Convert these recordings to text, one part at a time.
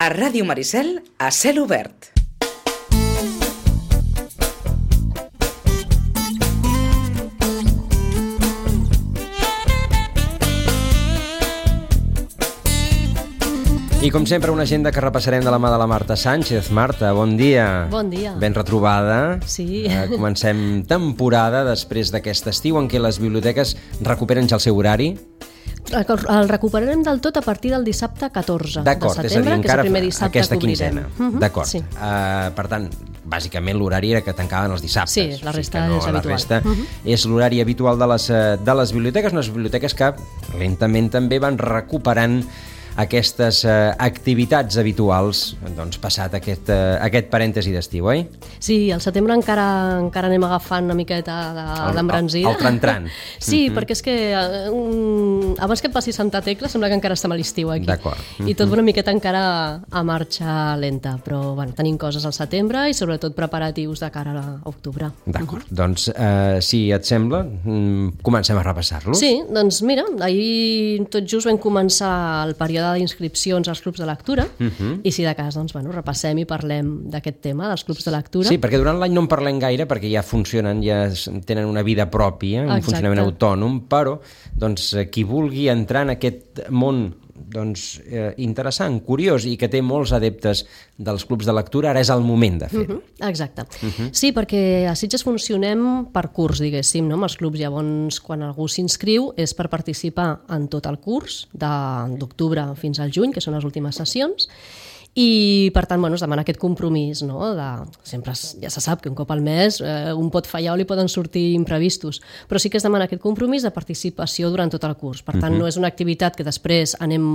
A Ràdio Maricel, a cel obert. I com sempre, una agenda que repassarem de la mà de la Marta Sánchez. Marta, bon dia. Bon dia. Ben retrobada. Sí. Comencem temporada després d'aquest estiu en què les biblioteques recuperen ja el seu horari. El recuperarem del tot a partir del dissabte 14 de setembre, que és el primer dissabte aquesta que obrirem. quinzena. D'acord. Sí. Per tant, bàsicament l'horari era que tancaven els dissabtes. Sí, la resta és habitual. La resta és l'horari habitual de les biblioteques, unes biblioteques que lentament també van recuperant aquestes activitats habituals, doncs passat aquest parèntesi d'estiu, oi? Sí, al setembre encara anem agafant una miqueta d'embranzida. El tran-tran. Sí, perquè és que abans que et passi Santa Tecla sembla que encara estem a l'estiu aquí. D'acord. I tot una miqueta encara a marxa lenta, però bueno, tenim coses al setembre i sobretot preparatius de cara a octubre. D'acord, doncs si et sembla, comencem a repassar-los. Sí, doncs mira, ahir tot just vam començar el període d'inscripcions als clubs de lectura i si de cas, doncs, bueno, repassem i parlem d'aquest tema, dels clubs de lectura. Sí, perquè durant l'any no en parlem gaire perquè ja funcionen, ja tenen una vida pròpia, un funcionament autònom, però doncs, qui vulgui entrar en aquest món interessant, curiós i que té molts adeptes dels clubs de lectura, ara és el moment de fer-ho. Exacte. Sí, perquè a Sitges funcionem per curs, diguéssim, no? Amb els clubs. Llavors, quan algú s'inscriu és per participar en tot el curs d'octubre fins al juny, que són les últimes sessions, i per tant es demana aquest compromís, no? Sempre ja se sap que un cop al mes un pot fallar o li poden sortir imprevistos, però sí que es demana aquest compromís de participació durant tot el curs. Per tant, no és una activitat que després anem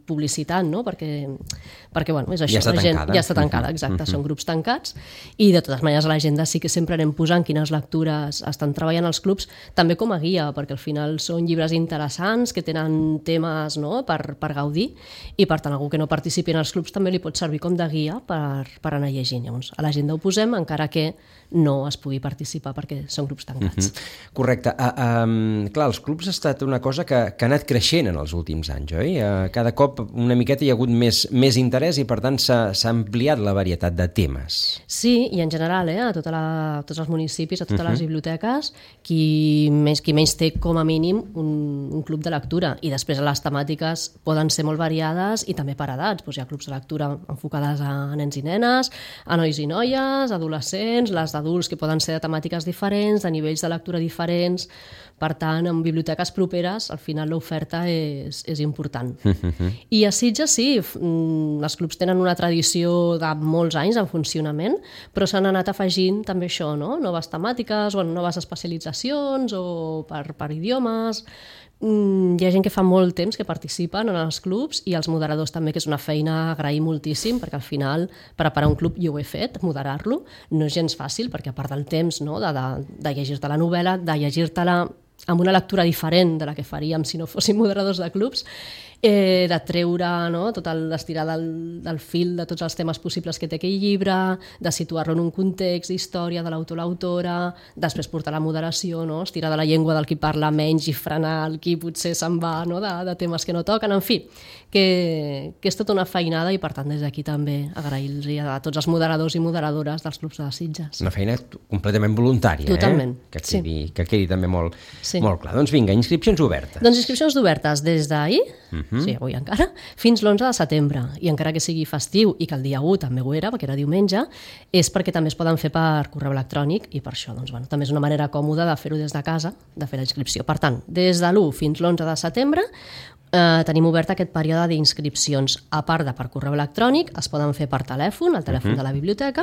publicitant, no? Perquè és això, ja està tancada. Ja està tancada, exacte, són grups tancats i de totes maneres a l'agenda sí que sempre anem posant quines lectures estan treballant els clubs, també com a guia, perquè al final són llibres interessants que tenen temes, no? per gaudir, i per tant algú que no participi en els clubs també li pot servir com de guia per anar llegint. Llavors, a l'agenda ho posem, encara que no es pugui participar perquè són grups tancats. Correcte. Clar, els clubs ha estat una cosa que ha anat creixent en els últims anys, oi? Cada cop una miqueta hi ha hagut més interès i per tant s'ha ampliat la varietat de temes. Sí, i en general, a tots els municipis, a totes les biblioteques, qui menys té com a mínim un club de lectura, i després les temàtiques poden ser molt variades i també per edats. Hi ha clubs de lectura enfocades a nens i nenes, a nois i noies, adolescents, les d'adults que poden ser de temàtiques diferents, de nivells de lectura diferents. Per tant, en biblioteques properes, al final l'oferta és important. I a Sitges sí, els clubs tenen una tradició de molts anys en funcionament, però s'han anat afegint també això, no? Noves temàtiques o noves especialitzacions o per idiomes. Hi ha gent que fa molt temps que participen en els clubs i els moderadors també, que és una feina a agrair moltíssim, perquè al final preparar un club, jo ho he fet, moderar-lo, no és gens fàcil, perquè a part del temps, no, de llegir-te la novel·la, de llegir-te-la amb una lectura diferent de la que faríem si no fóssim moderadors de clubs, de treure, no, tot l'estirar del fil de tots els temes possibles que té aquell llibre, de situar-lo en un context d'història de l'autor o l'autora, després portar la moderació, no, estirar de la llengua del qui parla menys i frenar el qui potser se'n va, no, de temes que no toquen, en fi, que és tota una feinada i per tant des d'aquí també agrair-los a tots els moderadors i moderadores dels clubs de Sitges. Una feina completament voluntària, totalment, que quedi també molt clar. Doncs vinga, inscripcions obertes. Doncs inscripcions obertes des d'ahir, sí, avui encara, fins l'11 de setembre. I encara que sigui festiu i que el dia 1 també ho era, perquè era diumenge, és perquè també es poden fer per correu electrònic i per això també és una manera còmoda de fer-ho des de casa, de fer la inscripció. Per tant, des de l'1 fins l'11 de setembre tenim obert aquest període d'inscripcions. A part de per correu electrònic, es poden fer per telèfon, el telèfon de la biblioteca,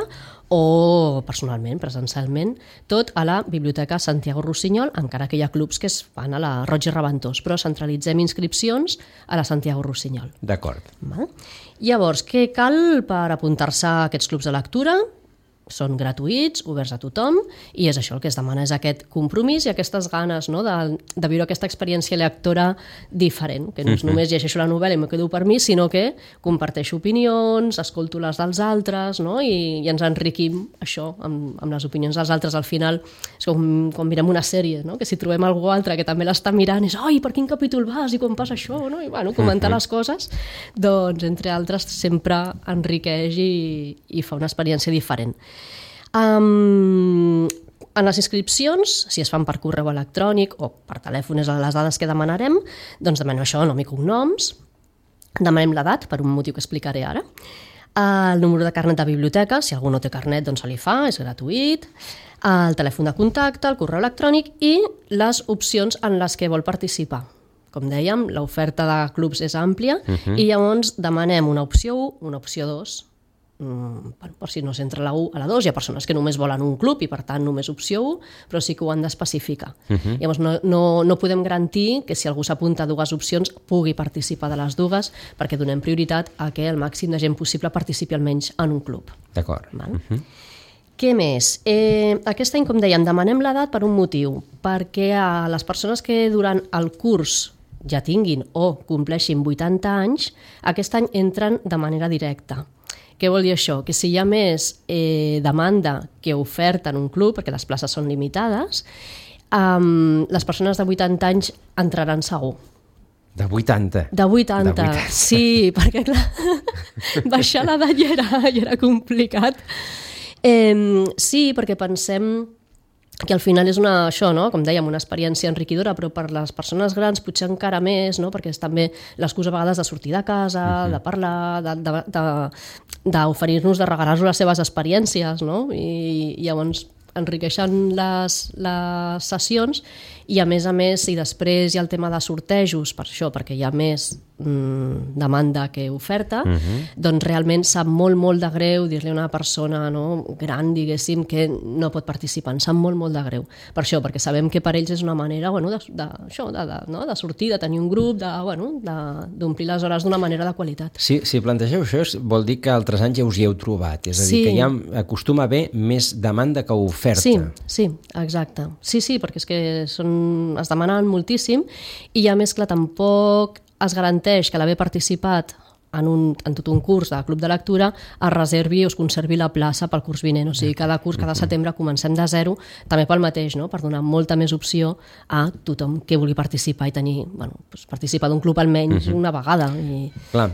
o personalment, presencialment, tot a la Biblioteca Santiago Rossinyol, encara que hi ha clubs que es fan a la Roig i Reventós, però centralitzem inscripcions a la Santiago Rossinyol. D'acord. Llavors, què cal per apuntar-se a aquests clubs de lectura? són gratuïts, oberts a tothom, i és això el que es demana, és aquest compromís i aquestes ganes, no?, de viure aquesta experiència lectora diferent, que no és només llegeixo la novel·la i m'ho quedo per mi, sinó que comparteixo opinions, escolto les dels altres, no?, i ens enriquim això amb les opinions dels altres. Al final és com quan mirem una sèrie, no?, que si trobem algú altre que també l'està mirant és per quin capítol vas i quan passa això, no?, i bueno, comentar les coses, doncs entre altres sempre enriqueix i fa una experiència diferent. En les inscripcions, si es fan per correu electrònic o per telèfon, és les dades que demanarem, doncs demanem això, nom i cognoms, demanem l'edat, per un motiu que explicaré ara, el número de carnet de biblioteca, si algú no té carnet doncs se li fa, és gratuït, el telèfon de contacte, el correu electrònic i les opcions en les que vol participar. Com dèiem, l'oferta de clubs és àmplia i llavors demanem una opció 1, una opció 2, per si no s'entra la 1 a la 2, hi ha persones que només volen un club i per tant només opció 1, però sí que ho han d'especificar. Llavors no podem garantir que si algú s'apunta a dues opcions pugui participar de les dues, perquè donem prioritat a que el màxim de gent possible participi almenys en un club. D'acord. Què més? Aquest any, com dèiem, demanem l'edat per un motiu, perquè a les persones que durant el curs ja tinguin o compleixin 80 anys, aquest any entren de manera directa. Què vol dir això? Que si hi ha més demanda que oferta en un club, perquè les places són limitades, les persones de 80 anys entraran segur. De 80? De 80, sí, perquè clar, baixar l'edat ja era complicat. Sí, perquè pensem que al final és això, no?, com dèiem, una experiència enriquidora, però per les persones grans potser encara més, no?, perquè és també l'excusa a vegades de sortir de casa, de parlar, d'oferir-nos, de regalar-nos les seves experiències, no?, i llavors enriqueixen les sessions i a més, si després hi ha el tema de sortejos, per això, perquè hi ha més demanda que oferta, doncs realment sap molt de greu dir-li a una persona gran, diguéssim, que no pot participar, ens sap molt de greu. Per això, perquè sabem que per ells és una manera de sortir, de tenir un grup, d'omplir les hores d'una manera de qualitat. Si plantegeu això, vol dir que altres anys ja us hi heu trobat, és a dir, que ja acostuma a haver més demanda que oferta. Sí, exacte. Sí, perquè és que es demanen moltíssim i a més, clar, tampoc es garanteix que l'haver participat en tot un curs de club de lectura es reservi o es conservi la plaça pel curs vinent. O sigui, cada curs, cada setembre comencem de zero, també pel mateix, no?, per donar molta més opció a tothom que vulgui participar i tenir, participar d'un club almenys una vegada. Clar,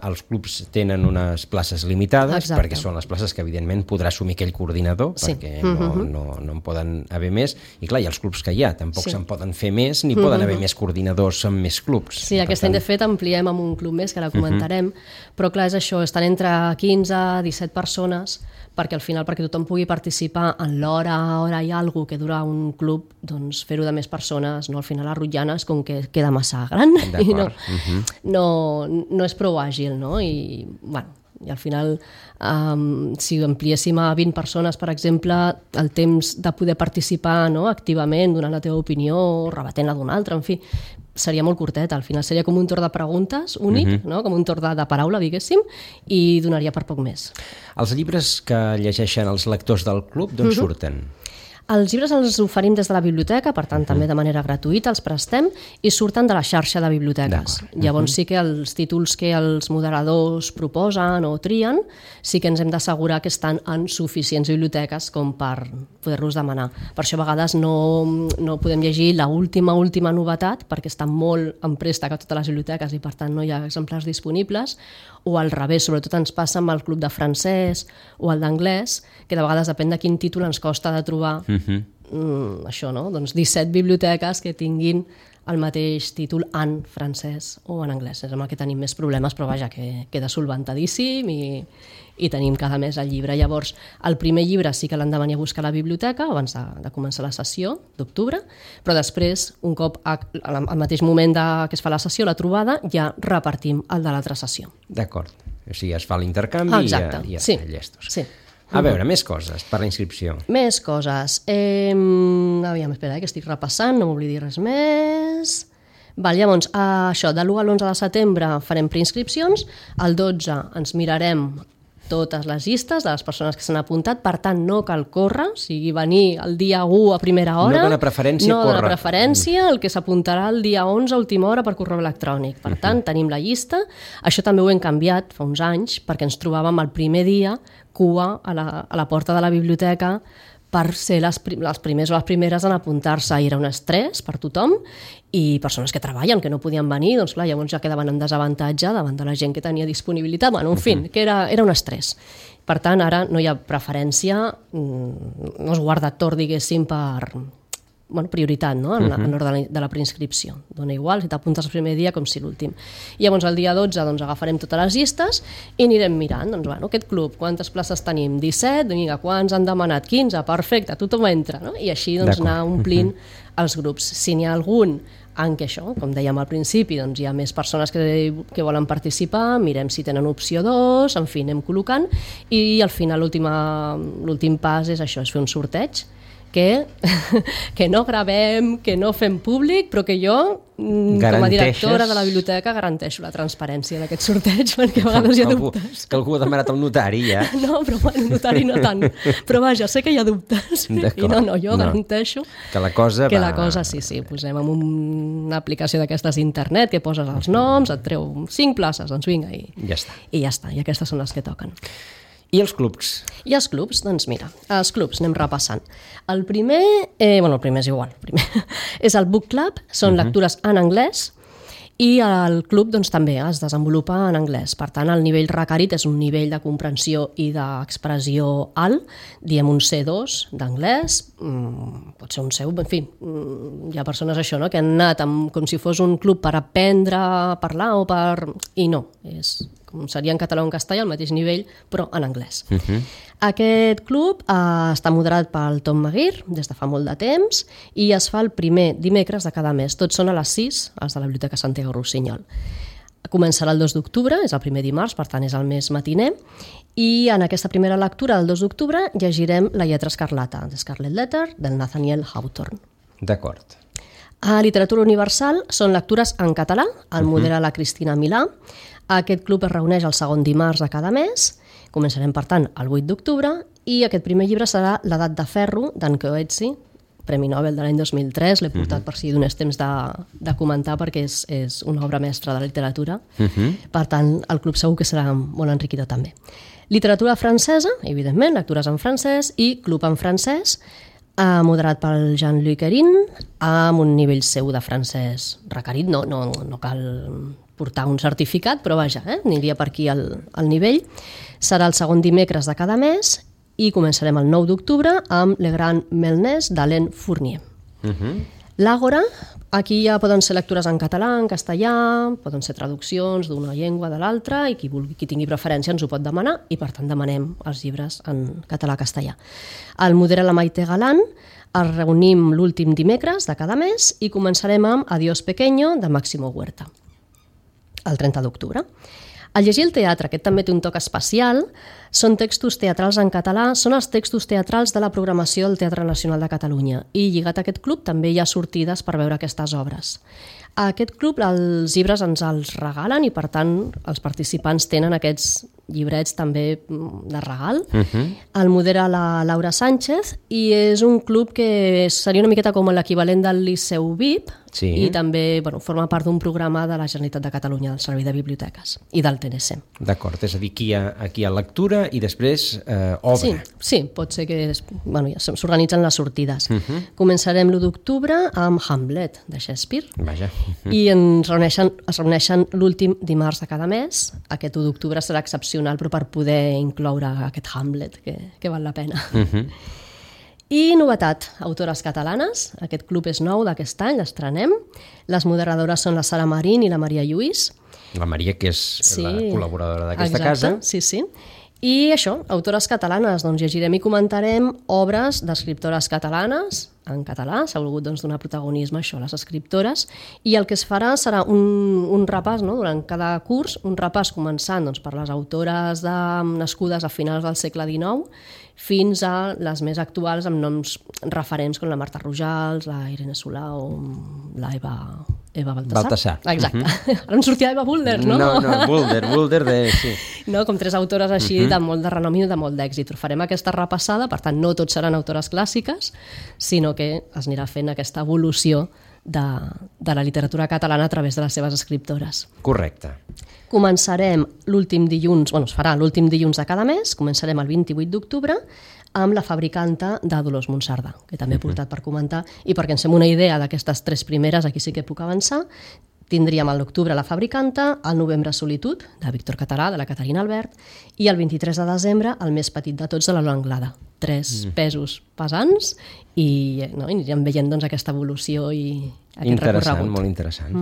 els clubs tenen unes places limitades, perquè són les places que evidentment podrà assumir aquell coordinador, perquè no en poden haver més, i clar, hi ha els clubs que hi ha, tampoc se'n poden fer més, ni poden haver més coordinadors amb més clubs. Sí, aquest any de fet ampliem amb un club més, que ara comentarem, però clar, és això, estan entre 15 i 17 persones, perquè al final, perquè tothom pugui participar en l'hora i alguna que dura un club, doncs fer-ho de més persones, no? Al final la rotllana és com que queda massa gran i no és prou àgil, no? I al final, si ampliéssim a 20 persones, per exemple, el temps de poder participar activament, donant la teva opinió, rebatent-la d'una altra, en fi, seria molt curtet. Al final seria com un torn de preguntes únic, com un torn de paraula, diguéssim, i donaria per poc més. Els llibres que llegeixen els lectors del club, d'on surten? Els llibres els oferim des de la biblioteca, per tant també de manera gratuïta els prestem, i surten de la xarxa de biblioteques. Llavors sí que els títols que els moderadors proposen o trien sí que ens hem d'assegurar que estan en suficients biblioteques com per poder-los demanar. Per això a vegades no podem llegir l'última novetat perquè està molt en préstec a totes les biblioteques i per tant no hi ha exemplars disponibles, o al revés, sobretot ens passa amb el club de francès o el d'anglès, que de vegades depèn de quin títol ens costa de trobar això, no? Doncs 17 biblioteques que tinguin el mateix títol en francès o en anglès. És amb el que tenim més problemes, però vaja, que queda solventadíssim i tenim cada mes el llibre. Llavors, el primer llibre sí que l'han de venir a buscar a la biblioteca abans de començar la sessió d'octubre, però després, un cop al mateix moment que es fa la sessió, la trobada, ja repartim el de l'altra sessió. D'acord. O sigui, es fa l'intercanvi i ja llestos. Sí. A veure, més coses per la inscripció. Més coses. Aviam, espera, que estic repassant, no m'oblidi res més. Llavors, això, de l'1 a l'11 de setembre farem preinscripcions, el 12 ens mirarem totes les llistes de les persones que s'han apuntat, per tant no cal córrer, o sigui, venir el dia 1 a primera hora. No dona preferència córrer. No dona preferència, el que s'apuntarà el dia 11 a última hora per correu electrònic. Per tant, tenim la llista. Això també ho hem canviat fa uns anys, perquè ens trobàvem el primer dia cua a la porta de la biblioteca per ser les primers o les primeres en apuntar-se. I era un estrès per tothom, i persones que treballen, que no podien venir, doncs clar, llavors ja quedaven en desavantatge davant de la gent que tenia disponibilitat. Bueno, en fi, que era un estrès. Per tant, ara no hi ha preferència, no es guarda torn, diguéssim, per prioritat, no? En l'ordre de la preinscripció. Dona igual si t'apuntes el primer dia com si l'últim. I llavors el dia 12 agafarem totes les llistes i anirem mirant, aquest club, quantes places tenim? 17? Vinga, quants han demanat? 15? Perfecte, tothom entra, no? I així anar omplint els grups. Si n'hi ha algun en què això, com dèiem al principi, hi ha més persones que volen participar, mirem si tenen opció 2, en fi, anem col·locant, i al final l'últim pas és això, és fer un sorteig que no gravem, que no fem públic, però que jo, com a directora de la biblioteca, garanteixo la transparència d'aquest sorteig, perquè a vegades hi ha dubtes. Que algú ha demanat al notari, ja? No, però el notari no tant. Però vaja, sé que hi ha dubtes. I jo garanteixo que la cosa sí, posem en una aplicació d'aquestes d'internet que poses els noms, et treu 5 places, doncs vinga, i ja està. I aquestes són les que toquen. I els clubs? I els clubs, doncs mira, els clubs anem repassant. El primer, el primer és igual, és el Book Club, són lectures en anglès, i el club doncs, també es desenvolupa en anglès. Per tant, el nivell requerit és un nivell de comprensió i d'expressió alt, diem un C2 d'anglès, pot ser un C1, en fi, hi ha persones això, no? Que han anat com si fos un club per aprendre a parlar i no, com seria en català o en castellà, al mateix nivell, però en anglès. Aquest club està moderat pel Tom Maguire des de fa molt de temps i es fa el primer dimecres de cada mes. Tots són a les 6, els de la Biblioteca Santiago Rossinyol. Començarà el 2 d'octubre, és el primer dimarts, per tant és el mes matiner, i en aquesta primera lectura del 2 d'octubre llegirem La lletra escarlata, The Scarlet Letter, del Nathaniel Hawthorne. D'acord. A Literatura Universal són lectures en català, el modera la Cristina Milà. Aquest club es reuneix el segon dimarts de cada mes, començarem per tant el 8 d'octubre, i aquest primer llibre serà L'edat de ferro, d'en Coetzee, Premi Nobel de l'any 2003, l'he portat per si donés temps de comentar perquè és una obra mestra de la literatura, per tant el club segur que serà molt enriquidor també. Literatura francesa, evidentment, lectures en francès, i club en francès, moderat pel Jean-Luc Erin, amb un nivell seu de francès requerit, no cal portar un certificat, però vaja, aniria per aquí el nivell. Serà el segon dimecres de cada mes i començarem el 9 d'octubre amb Le Grand Melnès d'Alain Fournier. L'Àgora, aquí ja poden ser lectures en català, en castellà, poden ser traduccions d'una llengua de l'altra, i qui tingui preferència ens ho pot demanar, i per tant demanem els llibres en català-castellà. El modera la Maite Galán, es reunim l'últim dimecres de cada mes i començarem amb Adiós Pequeño, de Máximo Huerta, el 30 d'octubre. Al llegir el teatre, aquest també té un toc especial, són textos teatrals en català, són els textos teatrals de la programació del Teatre Nacional de Catalunya, i lligat a aquest club també hi ha sortides per veure aquestes obres. A aquest club els llibres ens els regalen i per tant els participants tenen aquests llibrets també de regal. El modera la Laura Sánchez i és un club que seria una miqueta com l'equivalent del Liceu VIP, i també forma part d'un programa de la Generalitat de Catalunya, del Servei de Biblioteques i del TNC. D'acord, és a dir, aquí hi ha lectura i després obra. Sí, pot ser que s'organitzen les sortides. Començarem l'1 d'octubre amb Hamlet, de Shakespeare. Vaja. I es reuneixen l'últim dimarts de cada mes. Aquest 1 d'octubre serà excepcional, però per poder incloure aquest Hamlet, que val la pena. I novetat, autores catalanes. Aquest club és nou d'aquest any, l'estrenem. Les moderadores són la Sara Marín i la Maria Lluís. La Maria, que és la col·laboradora d'aquesta casa. Sí. I això, autores catalanes, doncs llegirem i comentarem obres d'escriptores catalanes, en català, s'ha volgut donar protagonisme a les escriptores, i el que es farà serà un repàs, durant cada curs, un repàs començant per les autores nascudes a finals del segle XIX fins a les més actuals amb noms referents com la Marta Rojals, la Irene Solà o la Eva Eva Baltasar. Exacte. Ara em sortia Eva Bulder, no? No, Bulder sí. No, com 3 autores així de molt de renom i de molt d'èxit. Farem aquesta repassada, per tant, no tots seran autores clàssiques, sinó que es anirà fent aquesta evolució de la literatura catalana a través de les seves escriptores. Correcte. Començarem l'últim dilluns, es farà l'últim dilluns de cada mes, començarem el 28 d'octubre, amb La fabricanta de Dolors Monsardà, que també he portat per comentar, i perquè ens fem una idea d'aquestes 3 primeres, aquí sí que puc avançar, tindríem a l'octubre La fabricanta, al novembre Solitud, de Víctor Català, de la Caterina Albert, i el 23 de desembre, el més petit de tots, de la Lola Anglada. 3 pesos pesants i anirem veient doncs, aquesta evolució i aquest recorregut. Molt interessant.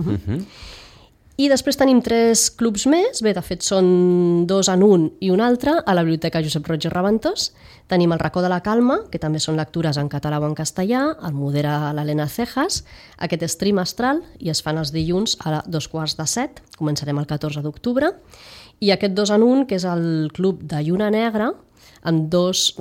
I després tenim 3 clubs més, bé, de fet són 2 en un i un altre, a la Biblioteca Josep Roig i Reventós. Tenim el Racó de la Calma, que també són lectures en català o en castellà, el modera l'Helena Cejas, aquest és trimestral i es fan els dilluns a 6:45, començarem el 14 d'octubre, i aquest 2 en un, que és el Club de Lluna Negra, amb dos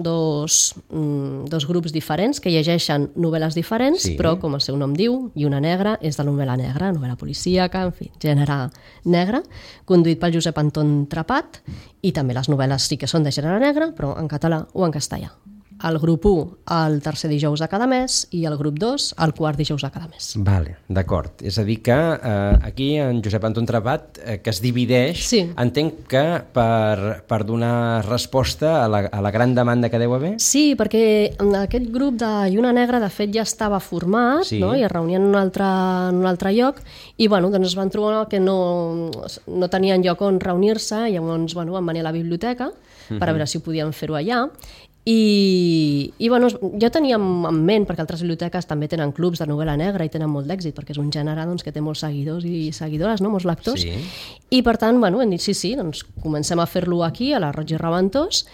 grups diferents que llegeixen novel·les diferents, però, com el seu nom diu, Lluna Negra és de novel·la negra, novel·la policíaca, en fi, gènere negre, conduït pel Josep Anton Trepat, i també les novel·les sí que són de gènere negre, però en català o en castellà. El grup 1 el tercer dijous de cada mes i el grup 2 el quart dijous de cada mes. Vale, d'acord. És a dir que aquí en Josep Anton Trepat, que es divideix, entenc que per donar resposta a la gran demanda que deu haver? Sí, perquè aquest grup de Lluna Negra de fet ja estava format, no? I es reunien en un altre lloc i doncs es van trobar que no tenien lloc on reunir-se i llavors van venir a la biblioteca per a veure si ho podien fer-ho allà. I jo tenia en ment, perquè altres biblioteques també tenen clubs de novel·la negra i tenen molt d'èxit, perquè és un gènere que té molts seguidors i seguidores, molts lectors, i per tant hem dit sí, doncs comencem a fer-lo aquí, a la Roig i Reventós,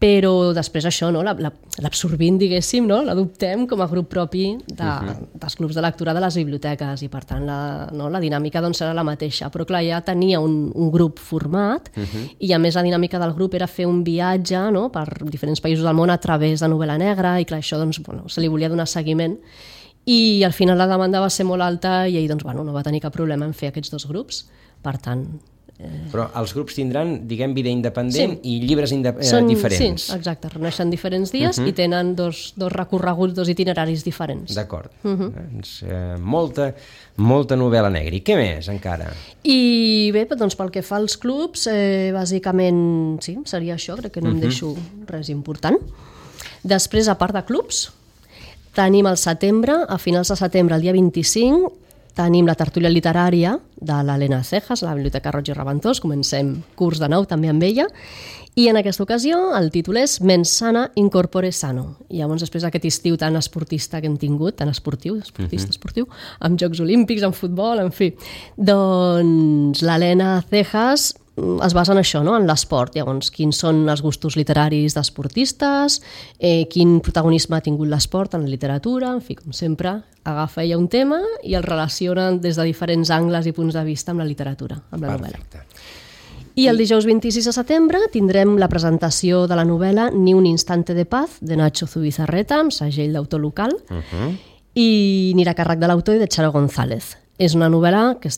però després això, l'absorbint, diguéssim, l'adoptem com a grup propi dels clubs de lectura de les biblioteques i per tant la dinàmica serà la mateixa, però clar, ja tenia un grup format i a més la dinàmica del grup era fer un viatge per diferents països del món a través de novel·la negra i clar, això se li volia donar seguiment i al final la demanda va ser molt alta i ell no va tenir cap problema en fer aquests 2 grups, per tant... Però els grups tindran, diguem, vida independent i llibres diferents. Sí, exacte, reuneixen diferents dies i tenen dos recorreguts, 2 itineraris diferents. D'acord. Molta novel·la negra. I què més, encara? I bé, doncs pel que fa als clubs, bàsicament, sí, seria això, crec que no em deixo res important. Després, a part de clubs, tenim el setembre, a finals de setembre, el dia 25, tenim la tertúlia literària de l'Helena Cejas, a la Biblioteca Roig i Reventós, comencem curs de nou també amb ella, i en aquesta ocasió el títol és Mens sana, incorpore sano. I llavors després d'aquest estiu tan esportista que hem tingut, tan esportiu, amb Jocs Olímpics, amb futbol, en fi, doncs l'Helena Cejas es basa en això, en l'esport. Llavors, quins són els gustos literaris d'esportistes, quin protagonisme ha tingut l'esport en la literatura, en fi, com sempre, agafa ella un tema i el relaciona des de diferents angles i punts de vista amb la literatura, amb la novel·la. I el dijous 26 de setembre tindrem la presentació de la novel·la Ni un instante de paz, de Nacho Zubizarreta, amb segell d'autor local, i anirà a càrrec de l'autor i de Charo González. És una novel·la que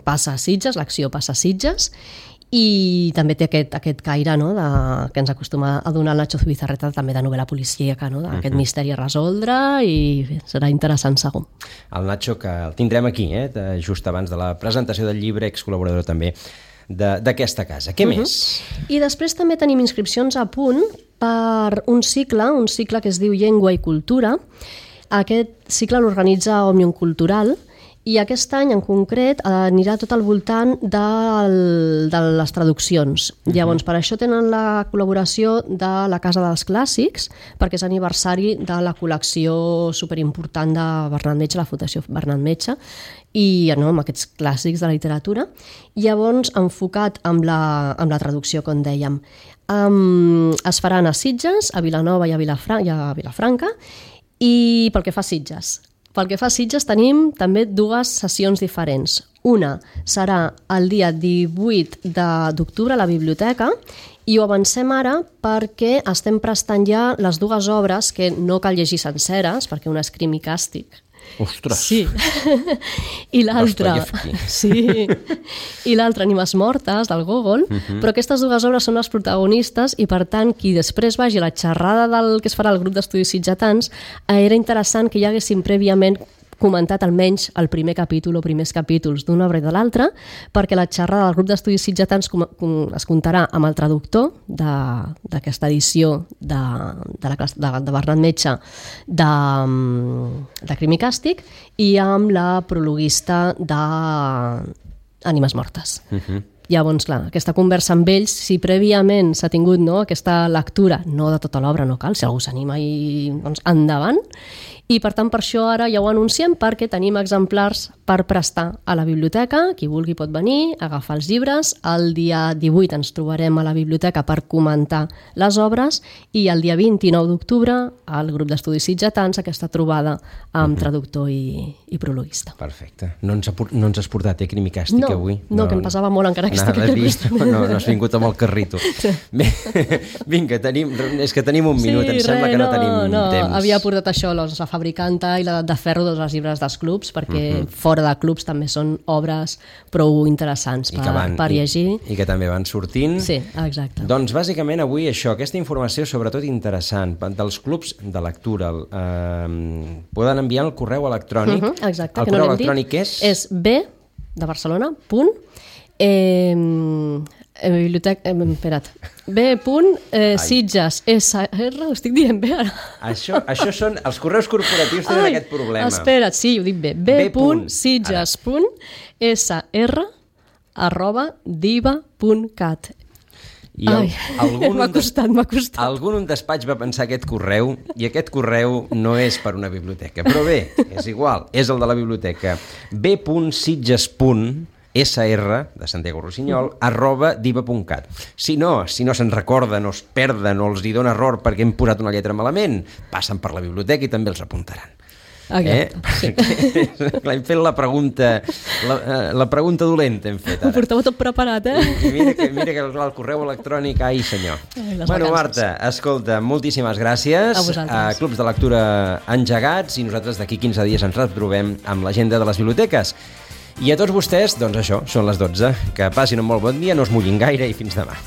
passa a Sitges, l'acció passa a Sitges, i també té aquest caire que ens acostuma a donar el Nacho Zubizarreta, també de novel·la policíaca, d'aquest misteri a resoldre, i serà interessant segur. El Nacho, que el tindrem aquí, just abans de la presentació del llibre, excol·laborador també d'aquesta casa. Què més? I després també tenim inscripcions a punt per un cicle que es diu Llengua i Cultura. Aquest cicle l'organitza Òmnium Cultural i aquest any en concret anirà tot al voltant de les traduccions. Llavors, per això tenen la col·laboració de la Casa dels Clàssics, perquè és aniversari de la col·lecció superimportant de Bernat Metge, la Fundació Bernat Metge, i amb aquests clàssics de la literatura. Llavors, enfocat amb la traducció, com dèiem. Es faran a Sitges, a Vilanova i a Vilafranca, i pel que fa a Sitges. Pel que fa a Sitges tenim també 2 sessions diferents. Una serà el dia 18 d'octubre a la biblioteca i ho avancem ara perquè estem prestant ja les 2 obres que no cal llegir senceres, perquè una és Crim i càstig Ostres! Sí. I l'altra... Sí. I l'altra, Ànimes mortes, del Gogol, però aquestes dues obres són les protagonistes i, per tant, qui després vagi a la xerrada del que es farà al grup d'estudis sitgetans, era interessant que hi haguessin prèviament comentat almenys el primer capítol o primers capítols d'una obra i de l'altra, perquè la xerrada del grup d'estudis sitgetans es comptarà amb el traductor d'aquesta edició de Bernat Metge de Crim i Càstig i amb la prologuista d'Ànimes mortes. Llavors, clar, aquesta conversa amb ells, si prèviament s'ha tingut aquesta lectura, no de tota l'obra, no cal, si algú s'anima i endavant, i per tant per això ara ja ho anunciem perquè tenim exemplars per prestar a la biblioteca, qui vulgui pot venir, agafar els llibres, el dia 18 ens trobarem a la biblioteca per comentar les obres i el dia 29 d'octubre al grup d'estudis sitgetans aquesta trobada amb traductor i prologuista. Perfecte. No ens has portat Crim i Càstig avui? No, que em passava molt encara que estic aquí. No has vingut amb el carrito. Vinga, és que tenim un minut, em sembla que no tenim temps. Havia portat això, la Fabricanta i l'Edat de Ferro, dels llibres dels clubs, perquè fora de clubs també són obres prou interessants per llegir. I que també van sortint. Sí, exacte. Doncs bàsicament avui això, aquesta informació sobretot interessant dels clubs de lectura. Poden enviar el correu electrònic. Exacte, el correu electrònic és? És b de Barcelona, b.sitges sr, ho estic dient bé ara? Això són, els correus corporatius tenen aquest problema. Espera't, sí, ho dic bé, b.sitges.sr@diva.cat. M'ha costat. Algú en un despatx va pensar aquest correu i aquest correu no és per una biblioteca, però bé, és igual, és el de la biblioteca. b.sitges.sr de Santiago Rossinyol @diva.cat. Si no se'n recorden o es perden o els hi dona error perquè hem posat una lletra malament, passen per la biblioteca i també els apuntaran. Sí. Hem fet la pregunta dolenta hem fet ara. Ho portava tot preparat, I mira que el correu electrònic, ai senyor. Bueno, Marta, escolta, moltíssimes gràcies. A Clubs de lectura engegats i nosaltres d'aquí 15 dies ens retrobem amb l'agenda de les biblioteques. I a tots vostès, doncs això, són les 12. Que passin un molt bon dia, no es mullin gaire i fins demà.